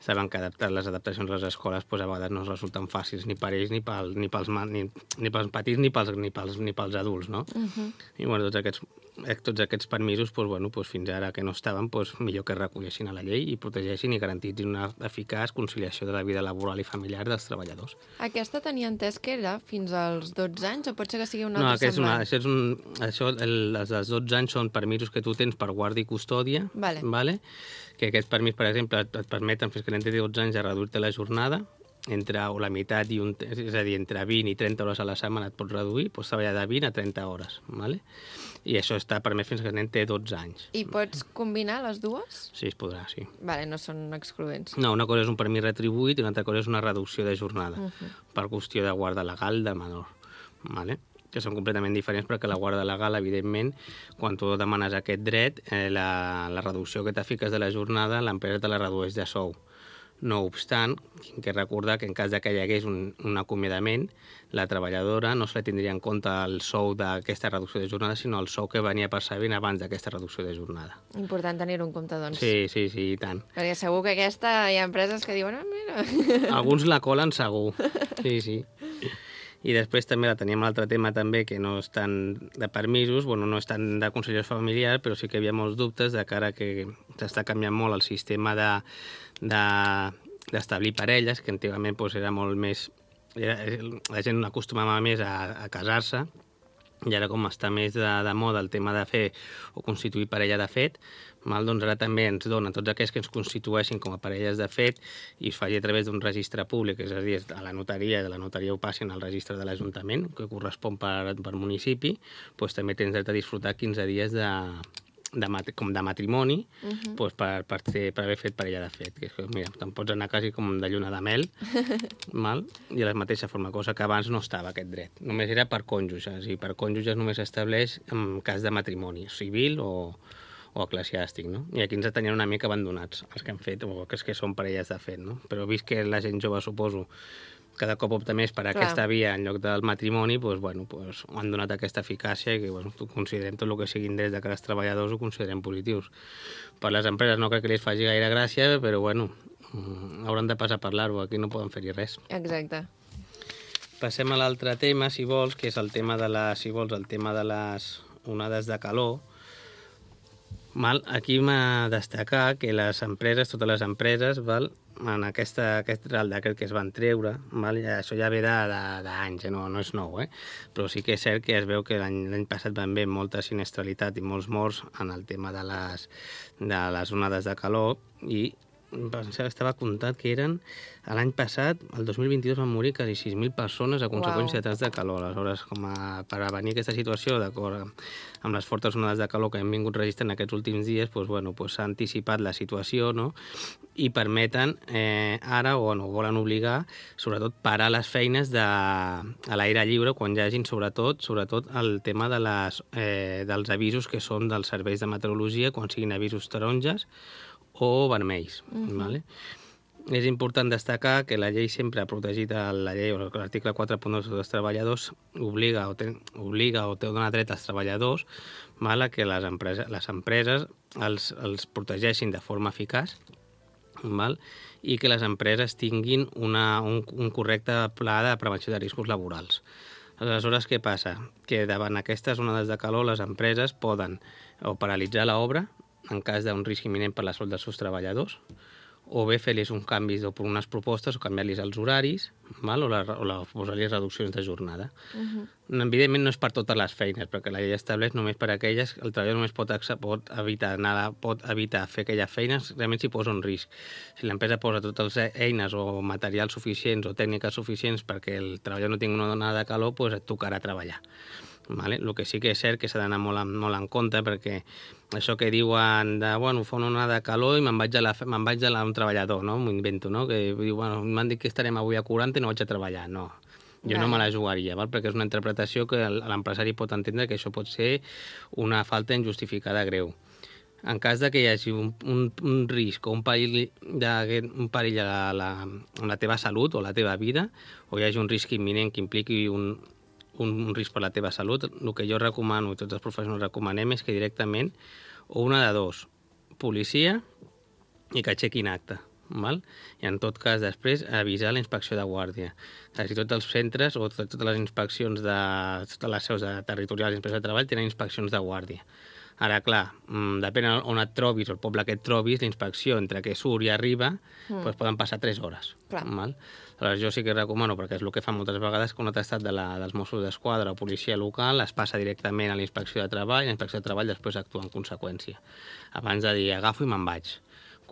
saben que adaptar les adaptacions a les escoles pues, a vegades no resulten fàcils ni per ells, ni, pel, ni, pels, ni, ni pels petits, ni pels, ni pels, ni pels adults, no? Uh-huh. I bueno, tots aquests, tots aquests permisos, pues, bueno, pues, fins ara que no estaven, pues, millor que recollissin a la llei i protegeixin i garantitzin una eficaç conciliació de la vida laboral i familiar dels treballadors. Aquesta tenia entès que era fins als dotze anys, o pot ser que sigui una no, altra semblant? No, això és un... Això, el, els dels dotze anys són permisos que tu tens per guàrdia i custòdia, vale. Vale? Que aquest permís, per exemple, et permeten fins que l'en té dotze anys a reduir-te la jornada, entre o la meitat, i un, és a dir, entre vint i trenta hores a la setmana et pots reduir, pots treballar de vint a trenta hores, vale? I això està permès fins que el nen té dotze anys. I pots combinar les dues? Sí, es podrà, sí. Vale, no són excloents. No, una cosa és un permís retribuït i una altra cosa és una reducció de jornada, uh-huh. per qüestió de guarda legal del menor, vale? Que són completament diferents perquè la guarda legal, evidentment, quan tu demanes aquest dret, eh, la, la reducció que t'afiques de la jornada, l'empresa te la redueix de sou. No obstant, tinc que recordar que en cas de que hi hagués un, un acomiadament, la treballadora no se li tindria en compte el sou d'aquesta reducció de jornada, sinó el sou que venia percebent abans d'aquesta reducció de jornada. Important tenir-ho en compte, doncs. Sí, sí, sí, i tant. Perquè segur que aquesta hi ha empreses que diuen, ah, mira... Alguns la colen segur, sí, sí. I després també la teníem l'altre tema també, que no és tant de permisos, bueno, no és tant de consellers familiars, però sí que hi havia molts dubtes de cara que s'està canviant molt el sistema de, de, d'establir parelles, que antigament doncs, era molt més... Era, la gent acostumava més a, a casar-se, i ara com està més de, de moda el tema de fer o constituir parella de fet, mal, doncs ara també ens dona tots aquells que ens constitueixin com a parelles de fet i es faci a través d'un registre públic, és a dir, a la notaria, i de la notaria ho passin al registre de l'Ajuntament, que correspon per, per municipi, doncs també tens dret a disfrutar quinze dies de, de, com de matrimoni, uh-huh. doncs per, per, fer, per haver fet parella de fet. Que és que, mira, te'n pots anar quasi com de lluna de mel, mal, i de la mateixa forma, cosa que abans no estava aquest dret. Només era per cònjuges, i per cònjuges només s'estableix en cas de matrimoni civil o o eclesiàstic, no? I aquí ens tenien una mica abandonats, els que han fet, o els que són parelles de fet, no? Però vist que la gent jove, suposo, cada cop opta més per Clar. aquesta via en lloc del matrimoni, doncs, bueno, doncs, han donat aquesta eficàcia i que, bueno, considerem tot el que siguin drets de cada treballadors ho considerem positius. Per les empreses no crec que li faci gaire gràcia, però, bueno, hauran de passar a parlar-ho, aquí no poden fer-hi res. Exacte. Passem a l'altre tema, si vols, que és el tema de les, si vols, el tema de les onades de calor. Mal, aquí m'ha de destacar que les empreses, totes les empreses, val, en aquesta, aquest Real Decret que es van treure, val, ja, això ja ve d'anys, eh, no, no és nou, eh? Però sí que és cert que es veu que l'any passat van haver molta siniestralitat i molts morts en el tema de les, de les onades de calor i pensava, estava comptat que eren, l'any passat, el dos mil vint-i-dos, van morir quasi sis mil persones a conseqüència de taps de calor. Aleshores, com a, per avenir aquesta situació, d'acord amb les fortes onades de calor que hem vingut registrant aquests últims dies, doncs, bueno, doncs, s'ha anticipat la situació, no? I permeten eh, ara, o bueno, volen obligar, sobretot, parar les feines de, a l'aire lliure quan hi hagin, sobretot, sobretot el tema de les, eh, dels avisos que són dels serveis de meteorologia, quan siguin avisos taronges o vermells. Uh-huh. Vale? És important destacar que la llei sempre ha protegit, la llei, o l'article quatre punt dos dels treballadors, obliga o, ten, obliga o té dona dret als treballadors, vale, que les empreses, les empreses els, els protegeixin de forma eficaç, val? I que les empreses tinguin una, un, un correcte pla de prevenció de riscos laborals. Aleshores, què passa? Que davant aquestes onades de calor les empreses poden o paralitzar l'obra en cas d'un risc imminent per la salut dels seus treballadors, o bé fer-los uns canvis o per unes propostes o canviar-los els horaris, val? o, la, o la, posar-los reduccions de jornada. Uh-huh. Evidentment no és per totes les feines, perquè la llei estableix només per aquelles, el treballador només pot, pot, evitar, nada, pot evitar fer aquelles feines realment si posa un risc. Si l'empresa posa totes les eines o materials suficients o tècniques suficients perquè el treballador no tingui una onada de calor, doncs et tocarà treballar. Vale? El que sí que és cert que s'ha d'anar molt, molt en compte, perquè això que diuen de, bueno, fa una onada de calor i me'n vaig a, la, me'n vaig a la, un treballador, no? M'ho invento, no? Que diu, bueno, m'han dit que estarem avui a quaranta i no vaig a treballar. No, jo no me la jugaria, val? Perquè és una interpretació que l'empresari pot entendre que això pot ser una falta injustificada greu. En cas de que hi hagi un, un, un risc o un perill, de, un perill a la, a la teva salut o la teva vida, o hi hagi un risc imminent que impliqui un, un, un risc per la teva salut, el que jo recomano i tots els professionals recomanem és que directament, o una de dos, policia i que aixequin acte. Val? I en tot cas després avisar la inspecció de guàrdia. Quasi tots els centres o totes les inspeccions de totes les seus de territorials d'inspecció de treball tenen inspeccions de guàrdia. Ara, clar, depèn on et trobis o el poble que et trobis, la inspecció entre que surt i arriba mm. doncs poden passar tres hores. Val? Aleshores, jo sí que recomano, perquè és el que fan moltes vegades, que un atestat de la, dels Mossos d'Esquadra o policia local es passa directament a la inspecció de treball, i la inspecció de treball després actua en conseqüència. Abans de dir, agafo i me'n vaig.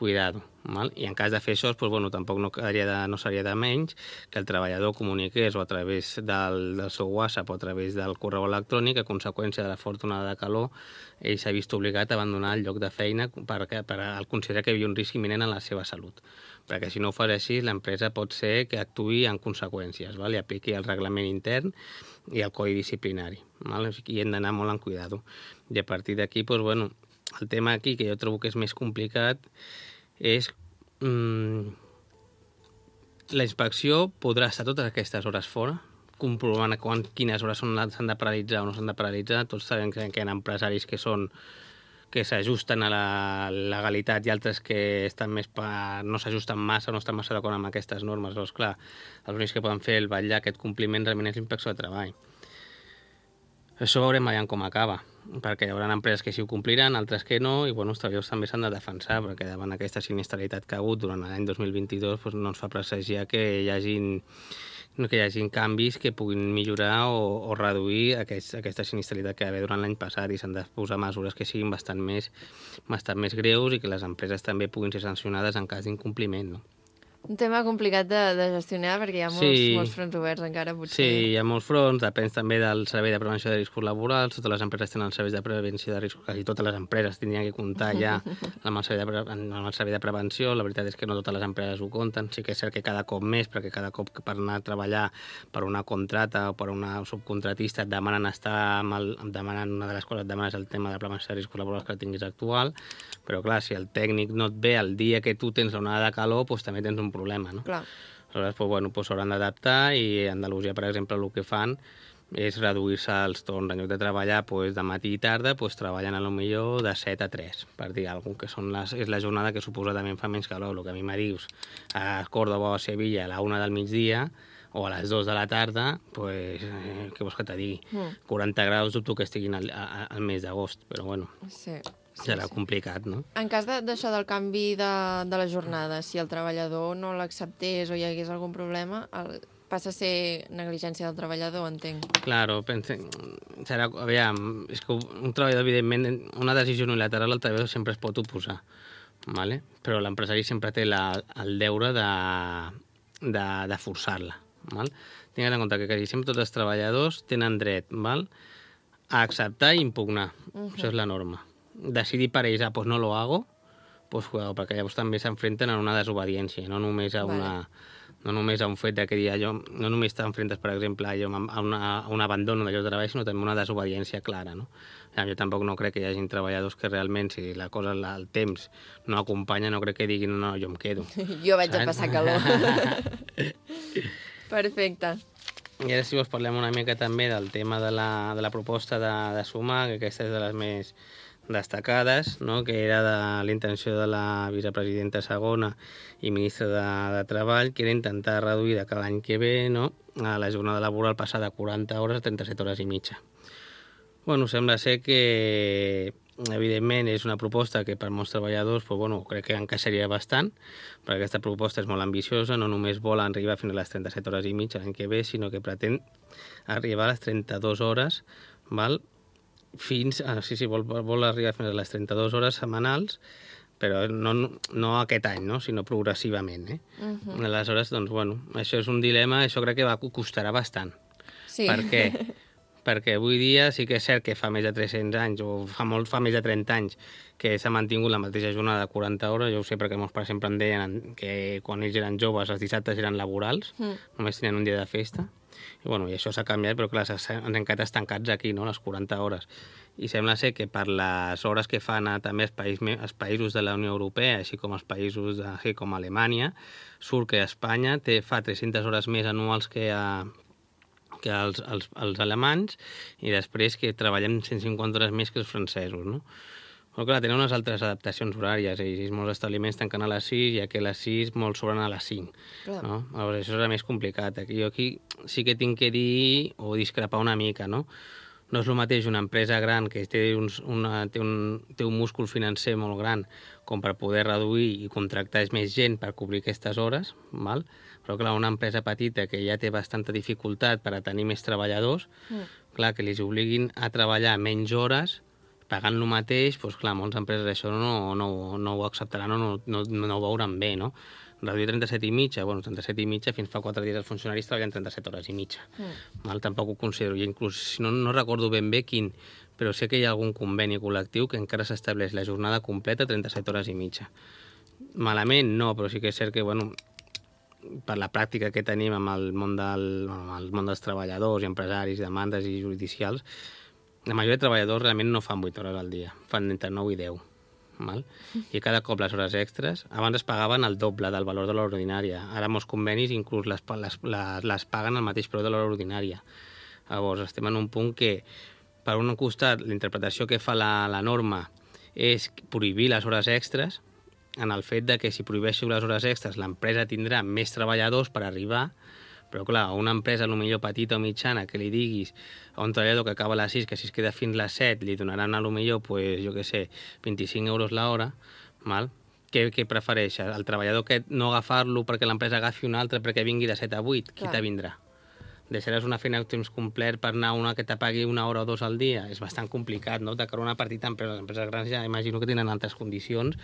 Cuidado, val? I en cas de fer això, doncs, bueno, tampoc no, quedaria de, no seria de menys que el treballador comuniqués o a través del, del seu WhatsApp o a través del correu electrònic, a conseqüència de la forta onada de calor, ell s'ha vist obligat a abandonar el lloc de feina perquè per, per considerar que hi havia un risc imminent en la seva salut. Perquè si no ho fas així, l'empresa pot ser que actuï en conseqüències, val? I apliqui el reglament intern i el codi disciplinari. Val? I hem d'anar molt en cuidado. I a partir d'aquí, doncs, bueno, el tema aquí, que jo trobo que és més complicat, és mmm, la inspecció podrà estar totes aquestes hores fora, comprovant quan, quines hores s'han de paralitzar o no s'han de paralitzar. Tots sabem que hi ha empresaris que són que s'ajusten a la legalitat i altres que estan més per, no s'ajusten massa o no estan massa d'acord amb aquestes normes. Llavors, clar, els únics que poden fer el vetllar aquest compliment realment és l'inspecció de treball. Això veurem allà com acaba, perquè hi haurà empreses que sí ho compliran, altres que no, i bueno, els treballadors també s'han de defensar, perquè davant aquesta sinistralitat que ha hagut durant l'any dos mil vint-i-dos doncs no ens fa presagiar que hi hagin, que hi hagin canvis que puguin millorar o, o reduir aquest, aquesta sinistralitat que hi va haver durant l'any passat, i s'han de posar mesures que siguin bastant més, bastant més greus i que les empreses també puguin ser sancionades en cas d'incompliment, no? Un tema complicat de, de gestionar perquè hi ha molts, sí. molts fronts oberts encara, potser. Sí, hi ha molts fronts, depèn també del servei de prevenció de riscos laborals, totes les empreses tenen els serveis de prevenció de riscos, quasi totes les empreses tindrien que comptar ja amb el servei de, amb el servei de prevenció. La veritat és que no totes les empreses ho compten, sí que és cert que cada cop més, perquè cada cop que per anar a treballar per una contrata o per una subcontratista et demanen estar amb el, demanen, una de les coses et demanes el tema de prevenció de riscos laborals que el tinguis actual, però clar, si el tècnic no et ve el dia que tu tens l'onada de calor, doncs també tens un problema, no? Clar. Aleshores, doncs, bueno, doncs s'hauran d'adaptar, i a Andalusia, per exemple, el que fan és reduir-se els torns. En lloc de treballar doncs, de matí i tarda, doncs, treballen a lo millor de set a tres, per dir alguna cosa, que són les, és la jornada que suposadament fa menys calor. El que a mi me dius a Córdoba o a Sevilla a la una del migdia o a les dues de la tarda, pues, eh, què vols que te digui? Mm. quaranta graus dubto que estiguin al, a, al mes d'agost, però bueno. Sí. Sí, serà sí. complicat, no? En cas d'això de, del canvi de, de la jornada, si el treballador no l'acceptés o hi hagués algun problema, el, passa a ser negligència del treballador, entenc. Claro, pense, serà, aviam, és que un treballador, evidentment, una decisió unilateral, el treballador sempre es pot oposar. vale? Però l'empresari sempre té la, el deure de, de, de forçar-la. Val? Tingues en compte que quasi sempre tots els treballadors tenen dret, val? A acceptar i impugnar. Uh-huh. Això és la norma. Decidir per ells, ah, pues no lo hago, pues cuidado, perquè llavors també s'enfrenten a una desobediència, no només a una... Vale. No només a un fet de que dir allò, no només t'enfrentes, per exemple, allò, a, una, a un abandono d'allò de treball, sinó també una desobediència clara, no? Jo tampoc no crec que hi hagi treballadors que realment, si la cosa, el temps no acompanya, no crec que diguin, no, jo em quedo. Jo vaig a passar calor. Perfecte. I ara si vols parlem una mica també del tema de la, de la proposta de, de sumar, que aquesta és de les més destacades, no? Que era de la intenció de la vicepresidenta segona i ministra de, de Treball, que era intentar reduir de cada any que ve, no? A la jornada laboral passar de quaranta hores a trenta-set hores i mitja. Bueno, sembla ser que, evidentment, és una proposta que per molts treballadors, pues, bueno, crec que encaixaria bastant, perquè aquesta proposta és molt ambiciosa, no només vol arribar fins a les trenta-set hores i mitja l'any que ve, sinó que pretén arribar a les trenta-dues hores, val? Fins, ah, sí, sí, vol, vol arribar fins a les trenta-dues hores setmanals, però no, no aquest any, no? Sinó progressivament. Eh? Uh-huh. Aleshores, doncs, bueno, això és un dilema, això crec que va costarà bastant. Sí. Per què? Perquè avui dia sí que és cert que fa més de tres-cents anys, o fa, molt, fa més de trenta anys, que s'ha mantingut la mateixa jornada de quaranta hores. Jo ho sé perquè meus pares sempre em deien que quan ells eren joves els dissabtes eren laborals, mm. només tenien un dia de festa. I, bueno, i això s'ha canviat, però clar, ens hem quedat estancats aquí, no?, les quaranta hores. I sembla ser que per les hores que fan a, també els, país, els països de la Unió Europea, així com els països de, així com Alemanya, surt que Espanya té, fa tres-centes hores més anuals que, a, que els, els, els alemanys, i després que treballem cent cinquanta hores més que els francesos, no? Però clar, tenen unes altres adaptacions horàries, i molts establiments tanquen a les sis, i aquí a les sis molts sobren a les cinc. No? Llavors, això és més complicat. Aquí, jo aquí sí que tinc que dir o discrepar una mica, no? No és el mateix una empresa gran que té, uns, una, té, un, té un múscul financer molt gran com per poder reduir i contractar més gent per cobrir aquestes hores, val? Però clar, una empresa petita que ja té bastanta dificultat per a tenir més treballadors, mm. clar, que els obliguin a treballar menys hores pagant el mateix, doncs clar, moltes empreses això no, no, no ho acceptaran o no, no, no ho veuran bé, no? Reduir trenta-set i mitja, bueno, trenta-set i mitja, fins fa quatre dies els funcionaris treballen trenta-set hores i mitja. Mm. Val? Tampoc ho considero, i inclús, si no, no recordo ben bé quin, però sé que hi ha algun conveni col·lectiu que encara s'estableix la jornada completa trenta-set hores i mitja. Malament no, però sí que és cert que, bueno, per la pràctica que tenim amb el món, del, amb el món dels treballadors i empresaris, demandes i judicials, la majoria de treballadors realment no fan vuit hores al dia, fan entre nou i deu. Val? I cada cop les hores extres, abans es pagaven el doble del valor de l'hora ordinària. Ara molts convenis inclús les, les, les, les paguen al mateix preu de l'hora ordinària. Llavors estem en un punt que, per un costat, la interpretació que fa la, la norma és prohibir les hores extres, en el fet de que si prohibeixo les hores extres l'empresa tindrà més treballadors per arribar. Però clar, a una empresa potser petita o mitjana que li diguis a un treballador que acaba a les sis, que si es queda fins a les set li donaran a potser, pues, jo què sé, vint-i-cinc euros l'hora, val? Què, què prefereixes? El treballador que no agafar-lo perquè l'empresa agafi un altre perquè vingui de set a vuit? Qui te vindrà? Deixaràs una feina a temps complet per anar a una que te pagui una hora o dos al dia? És bastant complicat, no? De cara a una partida d'empreses. Les empreses grans ja imagino que tenen altres condicions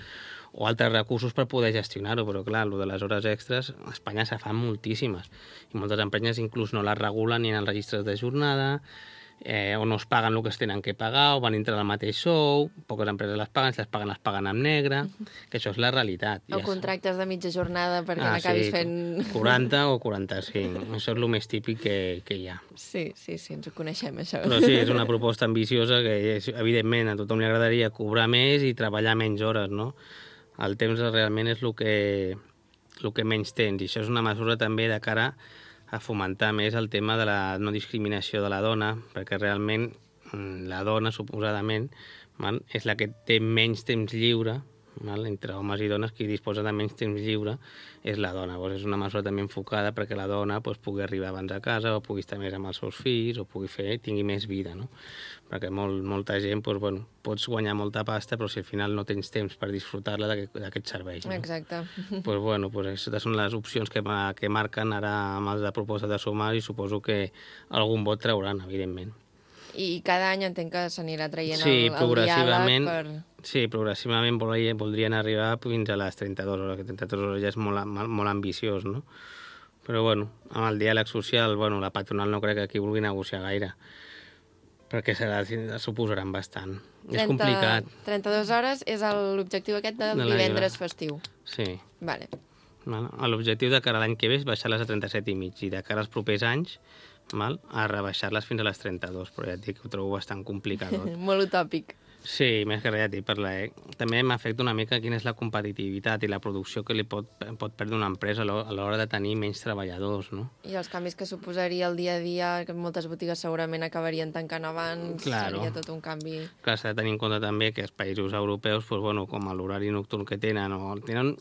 o altres recursos per poder gestionar-ho, però clar, el de les hores extres a Espanya se fan moltíssimes i moltes empreses inclús no les regulen ni en els registres de jornada, eh, o no es paguen el que es tenen que pagar, o van entrar al mateix sou, poques empreses les paguen, si les paguen les paguen en negre, que això és la realitat. O contractes de mitja jornada perquè ah, n'acabis sí, fent... quaranta o quaranta-cinc, això és el més típic que, que hi ha. Sí, sí, sí, ens ho coneixem, això. Però sí, és una proposta ambiciosa que, és, evidentment, a tothom li agradaria cobrar més i treballar menys hores, no? El temps realment és el que, el que menys tens, i això és una mesura també de cara a fomentar més el tema de la no discriminació de la dona, perquè realment la dona, suposadament, val, és la que té menys temps lliure, val, entre homes i dones, qui disposa de menys temps lliure és la dona. Llavors, és una mesura també enfocada perquè la dona pues, pugui arribar abans a casa, o pugui estar més amb els seus fills, o pugui fer, tingui més vida, no? Perquè molt, molta gent, pues, bueno, pots guanyar molta pasta, però si al final no tens temps per disfrutar-la d'aquests serveis. No? Exacte. Pues, bueno, pues, aquestes són les opcions que, que marquen ara amb els de proposta de sumar, i suposo que algun vot trauran, evidentment. I cada any entenc que s'anirà traient sí, el, el diàleg per... Sí, progressivament voldrien arribar fins a les trenta-dues hores, que trenta-dues hores ja és molt, molt ambiciós, no? Però, bueno, amb el diàleg social, bueno, la patronal no crec que aquí vulgui negociar gaire, perquè serà, suposaran bastant. trenta, és complicat. trenta-dues hores és l'objectiu aquest del de divendres festiu. Sí. Vale. Bueno, l'objectiu de cara a l'any que ve és baixar-les a trenta-set i mig i de cara als propers anys mal, a rebaixar-les fins a les trenta-dues, però ja et dic que ho trobo bastant complicat. Molt utòpic. Sí, més que res, ja et dic, per la... també m'afecta una mica quina és la competitivitat i la producció que li pot, pot perdre una empresa a l'hora de tenir menys treballadors, no? I els canvis que suposaria el dia a dia, que moltes botigues segurament acabarien tancant abans, claro. Seria tot un canvi... Clar, s'ha de tenir en compte també que els països europeus, pues, bueno, com l'horari nocturn que tenen, o tenen,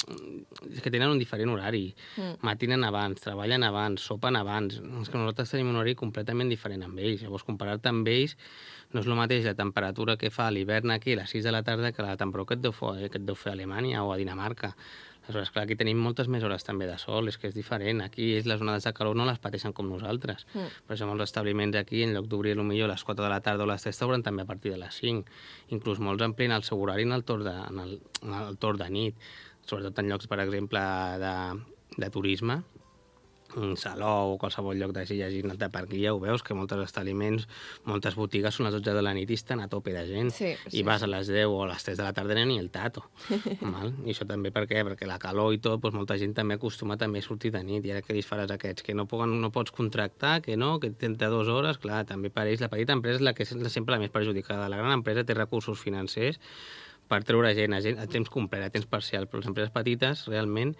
és que tenen un diferent horari. Mm. Matinen abans, treballen abans, sopen abans. És que nosaltres tenim un horari completament diferent amb ells. Llavors, comparar-te amb ells no és el mateix la temperatura que fa a l'hivern aquí a les sis de la tarda que la temperatura que et deu fer, que et deu fer a Alemanya o a Dinamarca. Aleshores, clar, aquí tenim moltes més hores també de sol, és que és diferent. Aquí les onades de calor no les pateixen com nosaltres. Mm. Per exemple, els establiments aquí, en lloc d'obrir potser a les quatre de la tarda o les tres, t'obren també a partir de les cinc. Inclús molts amplien el seu horari en el torn de, en el, en el torn de nit, sobretot en llocs, per exemple, de, de turisme, un saló o qualsevol lloc d'així llegint de per aquí, ja ho veus, que molts establiments, moltes botigues són a les dotze de la nit i estan a tope de gent. Sí, sí, I vas sí. a les deu o a les tres de la tarda ni el tato. Mal? I això també per què? Perquè la calor i tot, doncs molta gent també acostuma també a sortir de nit. I ara que disfaràs aquests que no, poden, no pots contractar, que no, que trenta-dues hores, clar, també per ells la petita empresa és la que és sempre la més perjudicada. La gran empresa té recursos financers per treure gent a, gent, a temps complet, a temps parcial, però les empreses petites realment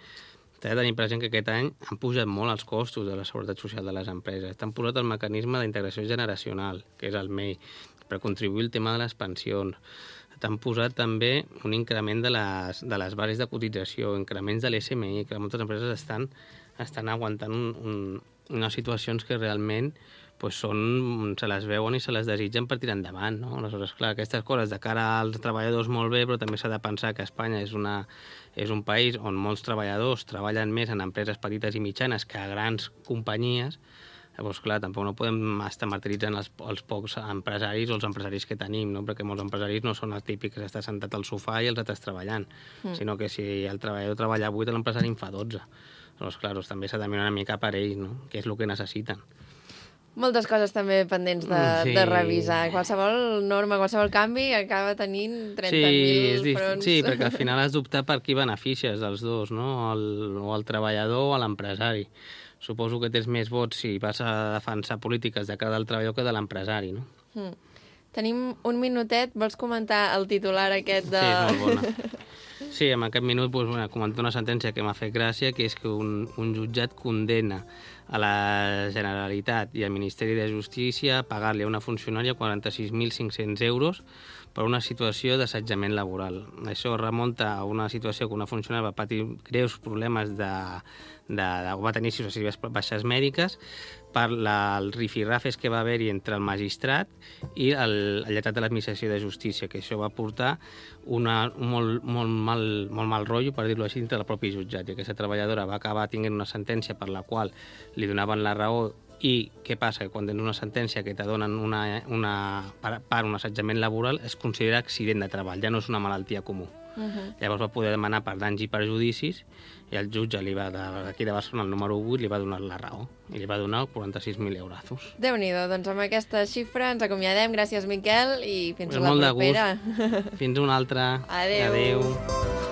t'he de tenir present que aquest any han pujat molt els costos de la seguretat social de les empreses. T'han posat el mecanisme d'integració generacional, que és el M E I, per contribuir al tema de les pensions. T'han posat també un increment de les, de les bases de cotització, increments de l'S M I, que moltes empreses estan, estan aguantant un, un, unes situacions que realment pues són, se les veuen i se les desitgen per tirar endavant, no? Aleshores, clar, aquestes coses de cara als treballadors molt bé, però també s'ha de pensar que Espanya és, una, és un país on molts treballadors treballen més en empreses petites i mitjanes que a grans companyies. Llavors, clar, tampoc no podem estar martiritzant els, els pocs empresaris o els empresaris que tenim, no? Perquè molts empresaris no són els típics que està sentat al sofà i els altres treballant, mm. sinó que si el treballador treballa vuit, l'empresari en fa dotze. Llavors, clar, doncs, també s'ha de mirar una mica per ells, no? Què és el que necessiten. Moltes coses també pendents de, sí. de revisar. Qualsevol norma, qualsevol canvi acaba tenint trenta mil sí, fronts. Sí, perquè al final has d'optar per qui beneficies dels dos, no? El, o el treballador o l'empresari. Suposo que tens més vots si vas a defensar polítiques de cara del treballador que de l'empresari, no? Mm. Tenim un minutet. Vols comentar el titular aquest de... Sí, és molt bona. Sí, en aquest minut doncs, bueno, comentar una sentència que m'ha fet gràcia, que és que un, un jutjat condena a la Generalitat i al Ministeri de Justícia a pagar-li a una funcionària quaranta-sis mil cinc-cents euros per una situació d'assetjament laboral. Això remunta a una situació que una funcionària va patir greus problemes de, de, de va tenir successives baixes mèdiques per la, el rifirrafes que va haver-hi entre el magistrat i el, el lletrat de l'administració de justícia, que això va portar una, un molt, molt, mal, molt mal rotllo, per dir-ho així, entre el propi jutjat. I aquesta treballadora va acabar tinguent una sentència per la qual li donaven la raó. I què passa? Que quan tens una sentència que te donen una, una, per, per un assetjament laboral es considera accident de treball, ja no és una malaltia comú. Uh-huh. Llavors va poder demanar per danys i perjudicis i el jutge li va, d'aquí de Barcelona, el número vuit, li va donar la raó i li va donar quaranta-sis mil eurazos. Déu-n'hi-do, doncs amb aquesta xifra ens acomiadem. Gràcies, Miquel, i fins pues a la molt propera. De gust. Fins una altra. Adéu. Adéu.